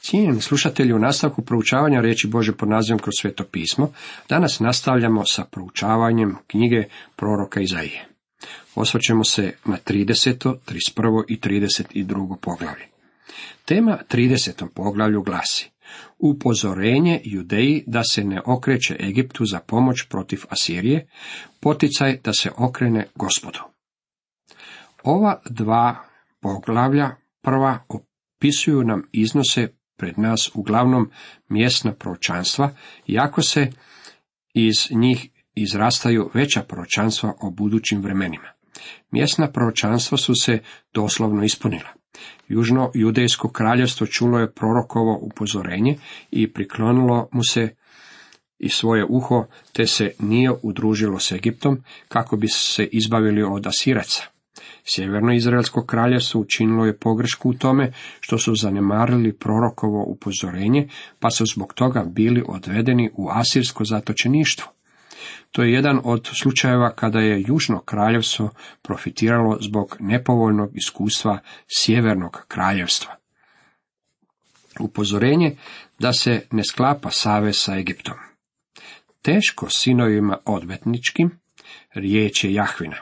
Cijenjeni slušatelji, u nastavku proučavanja riječi Božje pod nazivom Kroz Sveto pismo, danas nastavljamo sa proučavanjem knjige proroka Izaije. Osvrćemo se na 30., 31. i 32. poglavlje. Tema 30. poglavlju glasi: upozorenje Judeji da se ne okreće Egiptu za pomoć protiv Asirije, poticaj da se okrene Gospodu. Ova dva poglavlja prva opisuju nam iznose pred nas uglavnom mjesna proročanstva, iako se iz njih izrastaju veća proročanstva o budućim vremenima. Mjesna proročanstva su se doslovno ispunila. Južno judejsko kraljevstvo čulo je prorokovo upozorenje i priklonilo mu se i svoje uho, te se nije udružilo s Egiptom kako bi se izbavili od Asiraca. Sjeverno izraelsko kraljevstvo učinilo je pogrešku u tome što su zanemarili prorokovo upozorenje, pa su zbog toga bili odvedeni u asirsko zatočeništvo. To je jedan od slučajeva kada je južno kraljevstvo profitiralo zbog nepovoljnog iskustva sjevernog kraljevstva. Upozorenje da se ne sklapa savez sa Egiptom. Teško sinovima odvetničkim, riječ je Jahvina.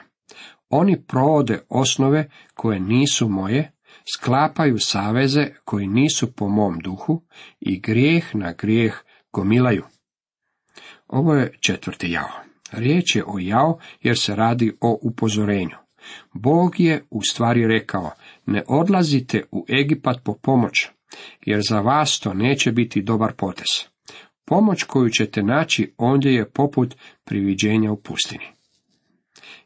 Oni provode osnove koje nisu moje, sklapaju saveze koji nisu po mom duhu i grijeh na grijeh gomilaju. Ovo je 4. jao. Riječ je o jao jer se radi o upozorenju. Bog je u stvari rekao: ne odlazite u Egipat po pomoć, jer za vas to neće biti dobar potez. Pomoć koju ćete naći ondje je poput priviđenja u pustini.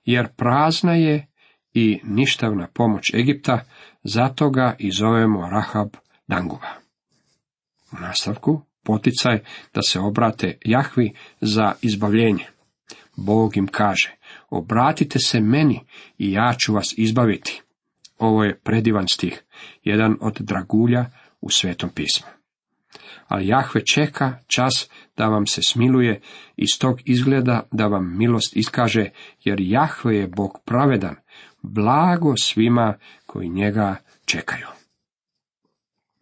Jer prazna je i ništavna pomoć Egipta, zato ga i zovemo Rahab Danguba. U nastavku poticaj da se obrate Jahvi za izbavljenje. Bog im kaže: obratite se meni i ja ću vas izbaviti. Ovo je predivan stih, jedan od dragulja u Svetom pismu. Ali Jahve čeka čas da vam se smiluje, iz tog izgleda da vam milost iskaže, jer Jahve je Bog pravedan, blago svima koji njega čekaju.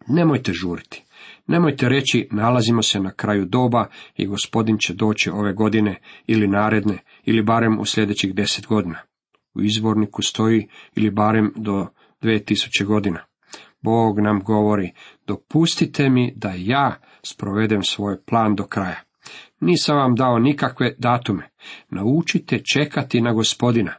Nemojte žuriti. Nemojte reći: nalazimo se na kraju doba i Gospodin će doći ove godine ili naredne, ili barem u sljedećih 10 godina. U izvorniku stoji ili barem do 2000 godina. Bog nam govori: dopustite mi da ja sprovedem svoj plan do kraja. Nisam vam dao nikakve datume. Naučite čekati na Gospodina.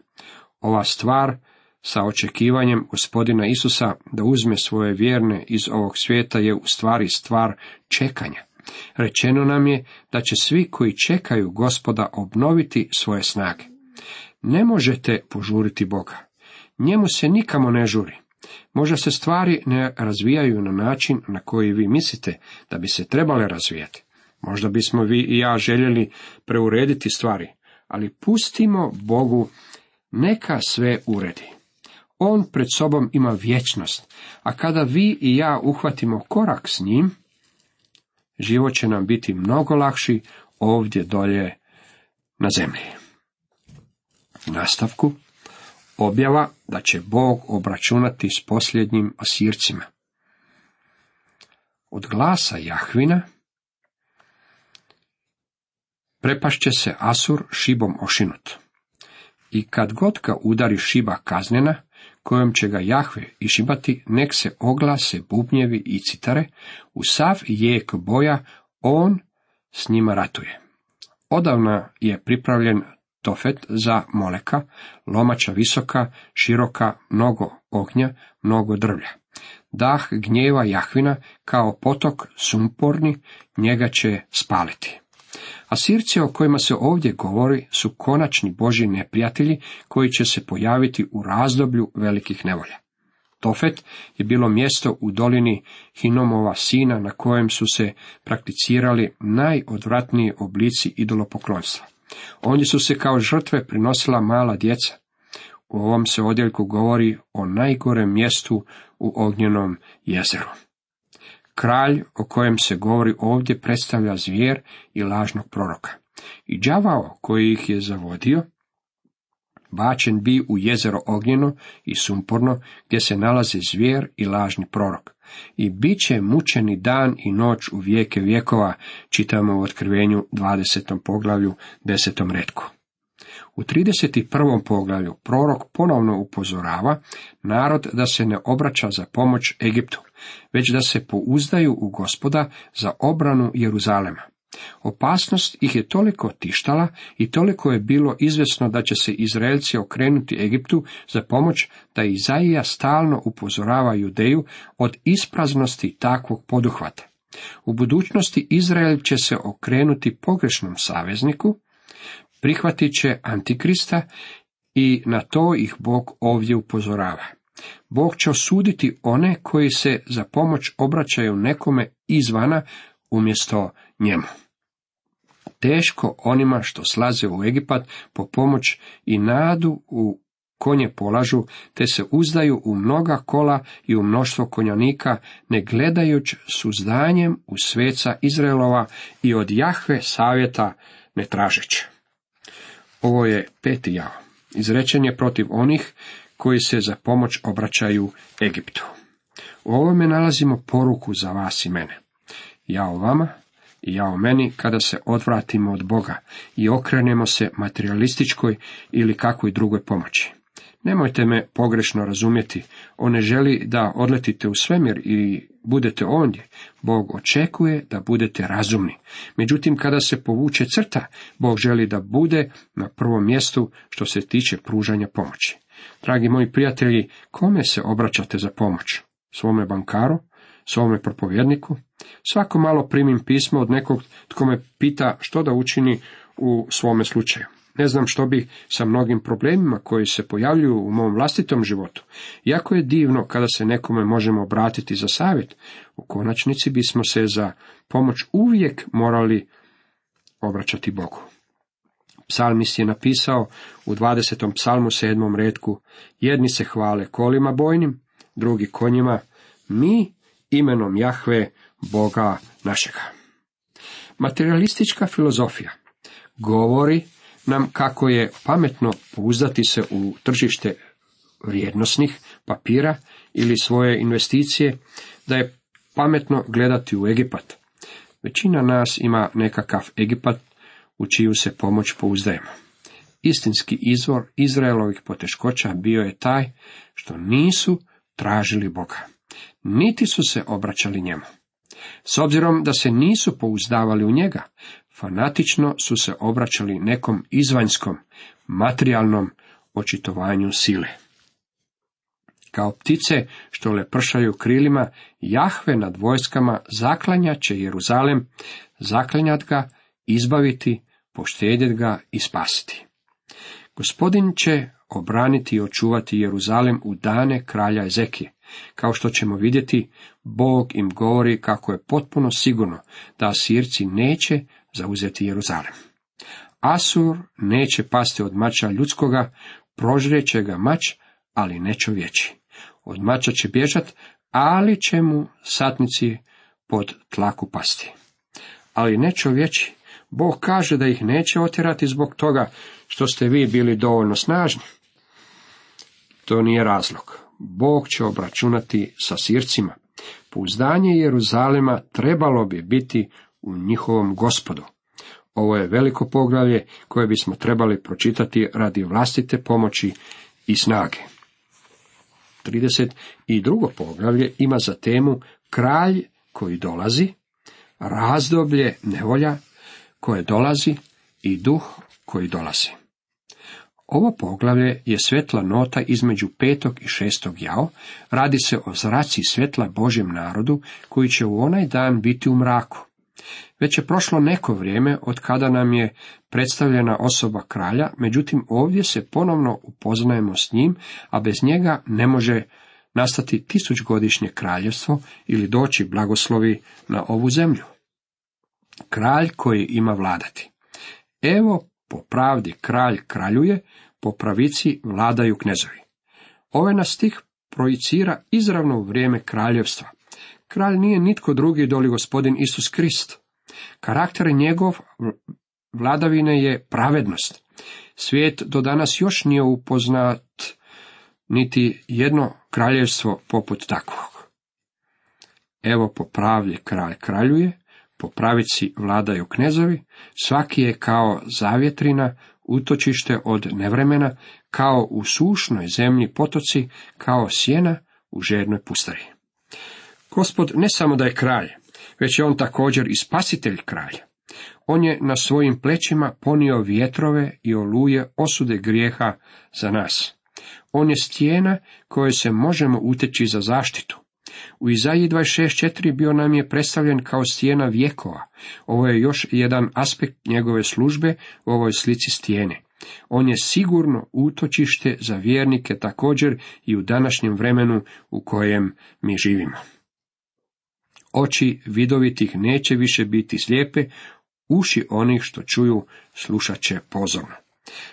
Ova stvar sa očekivanjem Gospodina Isusa da uzme svoje vjerne iz ovog svijeta je u stvari stvar čekanja. Rečeno nam je da će svi koji čekaju Gospoda obnoviti svoje snage. Ne možete požuriti Boga. Njemu se nikamo ne žuri. Možda se stvari ne razvijaju na način na koji vi mislite da bi se trebale razvijati. Možda bismo vi i ja željeli preurediti stvari, ali pustimo Bogu neka sve uredi. On pred sobom ima vječnost, a kada vi i ja uhvatimo korak s njim, život će nam biti mnogo lakši ovdje dolje na zemlji. U nastavku objava da će Bog obračunati s posljednjim Asircima. Od glasa Jahvina prepašće se Asur šibom ošinut. I kad god ga udari šiba kaznena, kojom će ga Jahve išibati, nek se oglase bubnjevi i citare, u sav jek boja on s njima ratuje. Odavna je pripravljen Tofet za Moleka, lomača visoka, široka, mnogo ognja, mnogo drvlja. Dah gnjeva Jahvina kao potok sumporni, njega će spaliti. Asirci o kojima se ovdje govori su konačni Božji neprijatelji koji će se pojaviti u razdoblju velikih nevolja. Tofet je bilo mjesto u dolini Hinomova sina na kojem su se prakticirali najodvratniji oblici idolopoklonstva. Ondje su se kao žrtve prinosila mala djeca. U ovom se odjeljku govori o najgorem mjestu u ognjenom jezeru. Kralj o kojem se govori ovdje predstavlja zvijer i lažnog proroka. I đavao koji ih je zavodio, bačen bi u jezero ognjeno i sumporno, gdje se nalazi zvijer i lažni prorok. I bit će mučeni dan i noć u vijeke vjekova, čitamo u Otkrivenju 20. poglavlju 10. retku. U 31. poglavlju prorok ponovno upozorava narod da se ne obraća za pomoć Egiptu, već da se pouzdaju u Gospoda za obranu Jeruzalema. Opasnost ih je toliko tištala i toliko je bilo izvjesno da će se Izraelci okrenuti Egiptu za pomoć, da Izaija stalno upozorava Judeju od ispraznosti takvog poduhvata. U budućnosti Izrael će se okrenuti pogrešnom savezniku, prihvatit će Antikrista i na to ih Bog ovdje upozorava. Bog će osuditi one koji se za pomoć obraćaju nekome izvana umjesto njemu. Teško onima što slaze u Egipat po pomoć i nadu u konje polažu, te se uzdaju u mnoga kola i u mnoštvo konjanika, ne gledajući s uzdanjem u sveca Izraelova i od Jahve savjeta ne tražeći. Ovo je 5. jao. Izrečen je protiv onih koji se za pomoć obraćaju Egiptu. U ovome nalazimo poruku za vas i mene. Jao vama i jao meni kada se odvratimo od Boga i okrenemo se materialističkoj ili kakvoj drugoj pomoći. Nemojte me pogrešno razumjeti, on ne želi da odletite u svemir i budete ondje. Bog očekuje da budete razumni. Međutim, kada se povuče crta, Bog želi da bude na prvom mjestu što se tiče pružanja pomoći. Dragi moji prijatelji, kome se obraćate za pomoć? Svome bankaru? Svome propovjedniku? Svako malo primim pismo od nekog tko me pita što da učini u svome slučaju. Ne znam što bi sa mnogim problemima koji se pojavljuju u mom vlastitom životu. Jako je divno kada se nekome možemo obratiti za savjet. U konačnici bismo se za pomoć uvijek morali obraćati Bogu. Psalmist je napisao u 20. psalmu 7. retku: jedni se hvale kolima bojnim, drugi konjima, mi imenom Jahve, Boga našega. Materialistička filozofija govori nam kako je pametno pouzdati se u tržište vrijednosnih papira ili svoje investicije, da je pametno gledati u Egipat. Većina nas ima nekakav Egipat u čiju se pomoć pouzdajemo. Istinski izvor Izraelovih poteškoća bio je taj što nisu tražili Boga, niti su se obraćali njemu. S obzirom da se nisu pouzdavali u njega, fanatično su se obraćali nekom izvanjskom, materijalnom očitovanju sile. Kao ptice što lepršaju krilima, Jahve nad vojskama zaklanjat će Jeruzalem, zaklanjat ga, izbaviti, poštedjet ga i spasiti. Gospodin će obraniti i očuvati Jeruzalem u dane kralja Ezekije. Kao što ćemo vidjeti, Bog im govori kako je potpuno sigurno da Asirci neće zauzeti Jeruzalem. Asur neće pasti od mača ljudskoga, prožreće ga mač, ali ne čovječi. Od mača će bježat, ali će mu satnici pod tlaku pasti. Ali ne čovječi. Bog kaže da ih neće otjerati zbog toga što ste vi bili dovoljno snažni. To nije razlog. Bog će obračunati sa Sircima. Pouzdanje Jeruzalema trebalo bi biti u njihovom Gospodu. Ovo je veliko poglavlje koje bismo trebali pročitati radi vlastite pomoći i snage. 32. poglavlje ima za temu kralj koji dolazi, razdoblje nevolja koje dolazi i duh koji dolazi. Ovo poglavlje je svetla nota između 5. i 6. jao, radi se o zraci svjetla Božjem narodu koji će u onaj dan biti u mraku. Već je prošlo neko vrijeme od kada nam je predstavljena osoba kralja, međutim ovdje se ponovno upoznajemo s njim, a bez njega ne može nastati 1000-godišnje kraljevstvo ili doći blagoslovi na ovu zemlju. Kralj koji ima vladati. Evo, po pravdi kralj kraljuje, po pravici vladaju knezovi. Ovaj nas stih projicira izravno u vrijeme kraljevstva. Kralj nije nitko drugi doli Gospodin Isus Krist. Karakter njegov vladavine je pravednost. Svijet do danas još nije upoznat niti jedno kraljevstvo poput takvog. Evo, po pravdi kralj kraljuje, po pravici vladaju knezovi, svaki je kao zavjetrina, utočište od nevremena, kao u sušnoj zemlji potoci, kao sjena u žednoj pustari. Gospod ne samo da je kralj, već je on također i spasitelj kralja. On je na svojim plećima ponio vjetrove i oluje osude grijeha za nas. On je stijena koje se možemo uteći za zaštitu. U Izaiji 26.4 bio nam je predstavljen kao stijena vjekova. Ovo je još jedan aspekt njegove službe u ovoj slici stijene. On je sigurno utočište za vjernike također i u današnjem vremenu u kojem mi živimo. Oči vidovitih neće više biti slijepe, uši onih što čuju slušat će pozorno.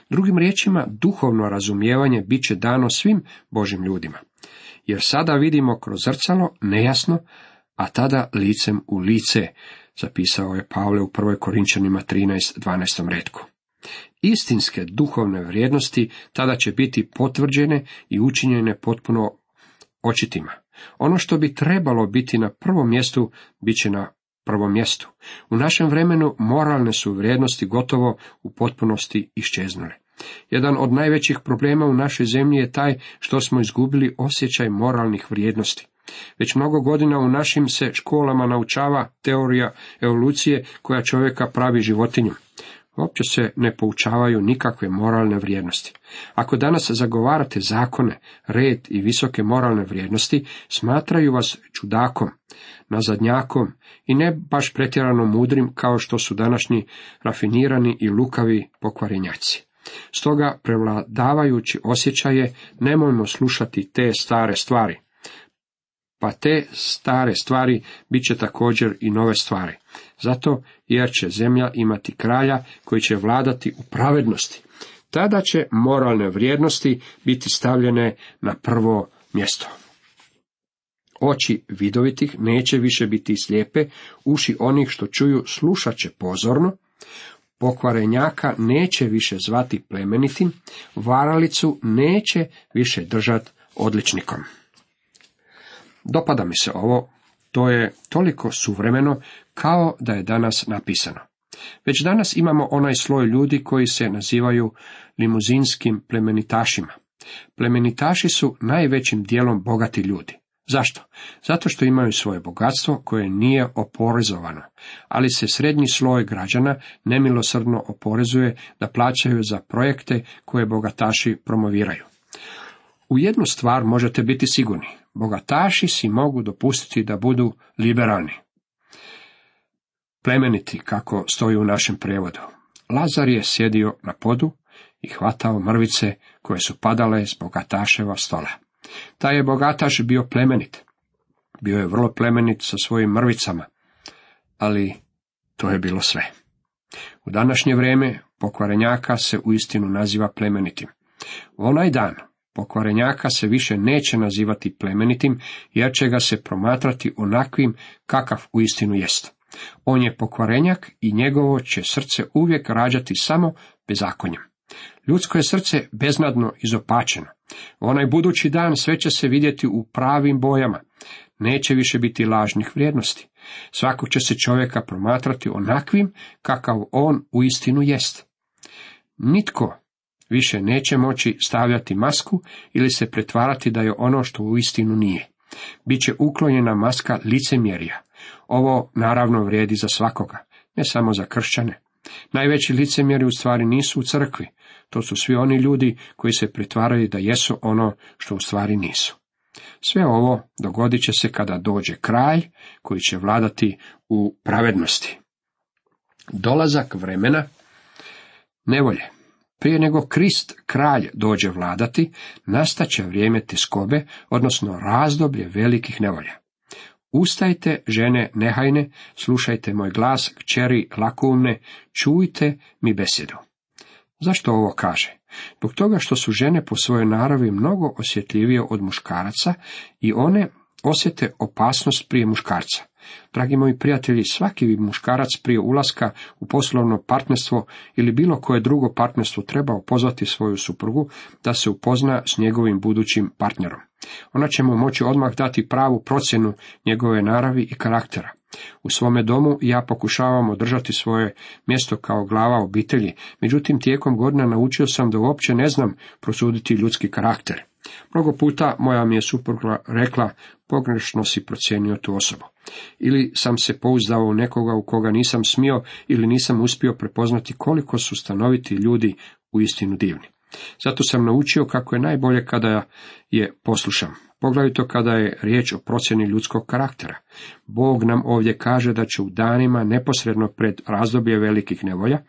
Drugim riječima, duhovno razumijevanje bit će dano svim Božim ljudima. Jer sada vidimo kroz zrcalo nejasno, a tada licem u lice, zapisao je Pavle u 1. Korinčanima 13.12. retku. Istinske duhovne vrijednosti tada će biti potvrđene i učinjene potpuno očitima. Ono što bi trebalo biti na prvom mjestu, bit će na prvom mjestu. U našem vremenu moralne su vrijednosti gotovo u potpunosti iščeznule. Jedan od najvećih problema u našoj zemlji je taj što smo izgubili osjećaj moralnih vrijednosti. Već mnogo godina u našim se školama naučava teorija evolucije koja čovjeka pravi životinjom. Uopće se ne poučavaju nikakve moralne vrijednosti. Ako danas zagovarate zakone, red i visoke moralne vrijednosti, smatraju vas čudakom, nazadnjakom i ne baš pretjerano mudrim kao što su današnji rafinirani i lukavi pokvarenjaci. Stoga, prevladavajući osjećaje, nemojmo slušati te stare stvari. Pa te stare stvari bit će također i nove stvari. Zato, jer će zemlja imati kralja koji će vladati u pravednosti. Tada će moralne vrijednosti biti stavljene na prvo mjesto. Oči vidovitih neće više biti slijepe, uši onih što čuju slušat će pozorno, pokvarenjaka neće više zvati plemenitim, varalicu neće više držati odličnikom. Dopada mi se ovo, to je toliko suvremeno kao da je danas napisano. Već danas imamo onaj sloj ljudi koji se nazivaju limuzinskim plemenitašima. Plemenitaši su najvećim dijelom bogati ljudi. Zašto? Zato što imaju svoje bogatstvo koje nije oporezovano, ali se srednji sloj građana nemilosrdno oporezuje da plaćaju za projekte koje bogataši promoviraju. U jednu stvar možete biti sigurni, bogataši si mogu dopustiti da budu liberalni. Plemeniti, kako stoji u našem prijevodu. Lazar je sjedio na podu i hvatao mrvice koje su padale s bogataševa stola. Taj je bogataš bio plemenit. Bio je vrlo plemenit sa svojim mrvicama, ali to je bilo sve. U današnje vrijeme pokvarenjaka se uistinu naziva plemenitim. U onaj dan pokvarenjaka se više neće nazivati plemenitim, jer će ga se promatrati onakvim kakav uistinu jest. On je pokvarenjak i njegovo će srce uvijek rađati samo bezakonjem. Ljudsko je srce beznadno izopačeno. U onaj budući dan sve će se vidjeti u pravim bojama. Neće više biti lažnih vrijednosti. Svakog će se čovjeka promatrati onakvim kakav on uistinu jest. Nitko više neće moći stavljati masku ili se pretvarati da je ono što uistinu nije. Biće uklonjena maska licemjerja. Ovo naravno vrijedi za svakoga, ne samo za kršćane. Najveći licemjeri u stvari nisu u crkvi. To su svi oni ljudi koji se pretvaraju da jesu ono što u stvari nisu. Sve ovo dogodit će se kada dođe kralj koji će vladati u pravednosti. Dolazak vremena nevolje. Prije nego Krist, kralj, dođe vladati, nastaće vrijeme tjeskobe, odnosno razdoblje velikih nevolja. Ustajte, žene nehajne, slušajte moj glas, kćeri lakoumne, čujte mi besjedu. Zašto ovo kaže? Zbog toga što su žene po svojoj naravi mnogo osjetljivije od muškaraca i one osjete opasnost prije muškarca. Dragi moji prijatelji, svaki bi muškarac prije ulaska u poslovno partnerstvo ili bilo koje drugo partnerstvo trebao pozvati svoju suprugu da se upozna s njegovim budućim partnerom. Ona će mu moći odmah dati pravu procjenu njegove naravi i karaktera. U svome domu ja pokušavam održati svoje mjesto kao glava obitelji, međutim tijekom godina naučio sam da uopće ne znam prosuditi ljudski karakter. Mnogo puta moja mi je supruga rekla, pogrešno si procijenio tu osobu. Ili sam se pouzdao u nekoga u koga nisam smio ili nisam uspio prepoznati koliko su stanoviti ljudi uistinu divni. Zato sam naučio kako je najbolje kada je poslušam, poglavito kada je riječ o procjeni ljudskog karaktera. Bog nam ovdje kaže da će u danima neposredno pred razdoblje velikih nevolja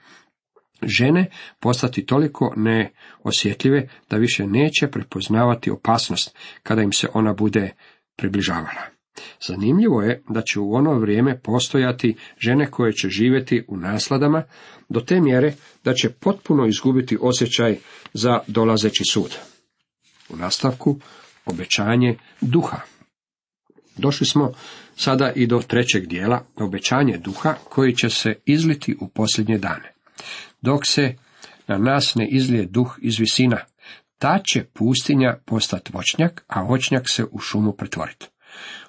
žene postati toliko neosjetljive da više neće prepoznavati opasnost kada im se ona bude približavala. Zanimljivo je da će u ono vrijeme postojati žene koje će živjeti u nasladama do te mjere da će potpuno izgubiti osjećaj za dolazeći sud. U nastavku obećanje duha. Došli smo sada i do trećeg dijela, obećanje duha koji će se izliti u posljednje dane. Dok se na nas ne izlije duh iz visina, ta će pustinja postati voćnjak, a voćnjak se u šumu pretvoriti.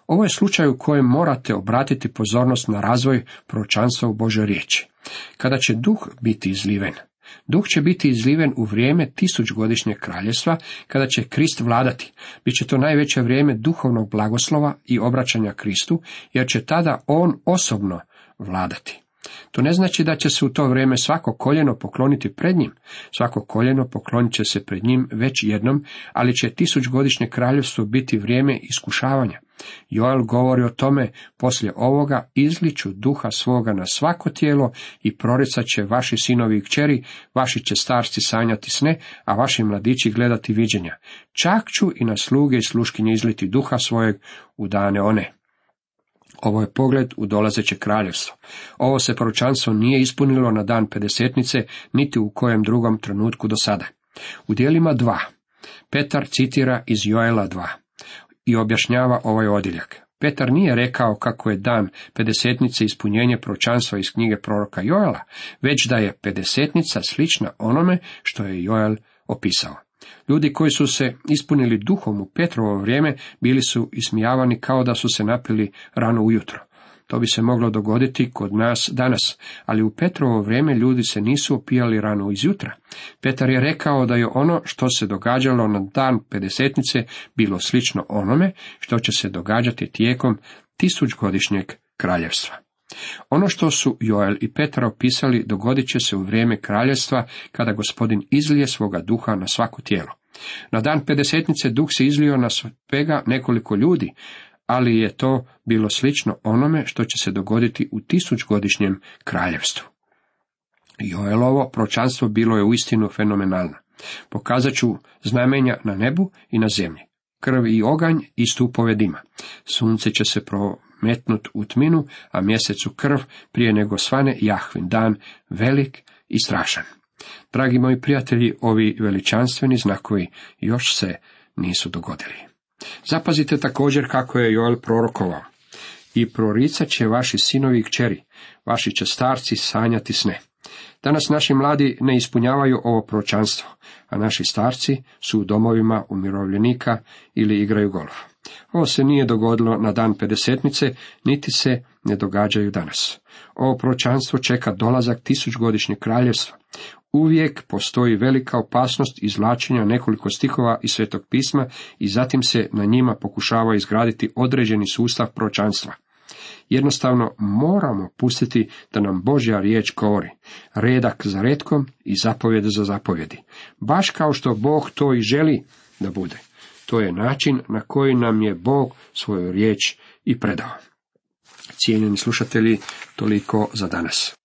Ovo je slučaj u kojem morate obratiti pozornost na razvoj proročanstva u Božoj riječi. Kada će duh biti izliven? Duh će biti izliven u vrijeme 1000-godišnjeg kraljevstva, kada će Krist vladati. Biće to najveće vrijeme duhovnog blagoslova i obraćanja Kristu, jer će tada on osobno vladati. To ne znači da će se u to vrijeme svako koljeno pokloniti pred njim. Svako koljeno poklonit će se pred njim već jednom, ali će 1000-godišnje kraljevstvo biti vrijeme iskušavanja. Joel govori o tome, poslije ovoga izliću duha svoga na svako tijelo i proricat će vaši sinovi i kćeri, vaši će starci sanjati sne, a vaši mladići gledati viđenja. Čak ću i na sluge i sluškinje izliti duha svojeg u dane one. Ovo je pogled u dolazeće kraljevstvo. Ovo se proročanstvo nije ispunilo na dan Pedesetnice, niti u kojem drugom trenutku do sada. U dijelima 2. Petar citira iz Joela 2 i objašnjava ovaj odjeljak. Petar nije rekao kako je dan Pedesetnice ispunjenje proročanstva iz knjige proroka Joela, već da je Pedesetnica slična onome što je Joel opisao. Ljudi koji su se ispunili duhom u Petrovo vrijeme bili su ismijavani kao da su se napili rano ujutro. To bi se moglo dogoditi kod nas danas, ali u Petrovo vrijeme ljudi se nisu opijali rano izjutra. Petar je rekao da je ono što se događalo na dan Pedesetnice bilo slično onome što će se događati tijekom 1000-godišnjeg kraljevstva. Ono što su Joel i Petar opisali dogodit će se u vrijeme kraljevstva kada Gospodin izlije svoga duha na svako tijelo. Na dan Pedesetnice duh se izlio na svega nekoliko ljudi, ali je to bilo slično onome što će se dogoditi u 1000-godišnjem kraljevstvu. Joelovo proročanstvo bilo je uistinu fenomenalno. Pokazat ću znamenja na nebu i na zemlji, krv i oganj i stupove dima. Sunce će se prometnut u tminu, a mjesecu krv prije nego svane Jahvin dan, velik i strašan. Dragi moji prijatelji, ovi veličanstveni znakovi još se nisu dogodili. Zapazite također kako je Joel prorokovao. I proricat će vaši sinovi i kćeri, vaši će starci sanjati sne. Danas naši mladi ne ispunjavaju ovo proročanstvo, a naši starci su u domovima umirovljenika ili igraju golf. Ovo se nije dogodilo na dan Pedesetnice, niti se ne događaju danas. Ovo proročanstvo čeka dolazak 1000-godišnjeg kraljevstva. Uvijek postoji velika opasnost izvlačenja nekoliko stihova iz Svetog pisma i zatim se na njima pokušava izgraditi određeni sustav proročanstva. Jednostavno moramo pustiti da nam Božja riječ govori, redak za retkom i zapovjed za zapovjedi. Baš kao što Bog to i želi da bude. To je način na koji nam je Bog svoju riječ i predao. Cijenjeni slušatelji, toliko za danas.